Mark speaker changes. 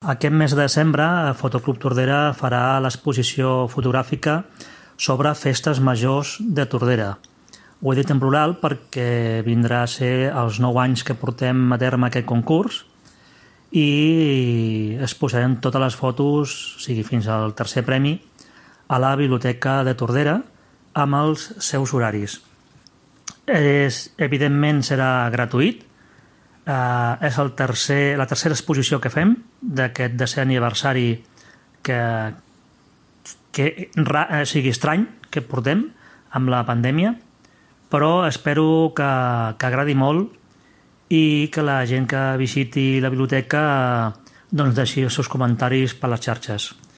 Speaker 1: Aquest mes de desembre, Fotoclub Tordera farà l'exposició fotogràfica sobre festes majors de Tordera. Ho he dit en plural perquè vindrà a ser els 9 anys que portem a terme aquest concurs i exposarem totes les fotos, o sigui, fins al tercer premi, a la Biblioteca de Tordera amb els seus horaris. Evidentment serà gratuït. És la tercera exposició que fem d'aquest 10è aniversari sigui estrany que portem amb la pandèmia, però espero que agradi molt i que la gent que visiti la biblioteca doncs deixi els seus comentaris per les xarxes.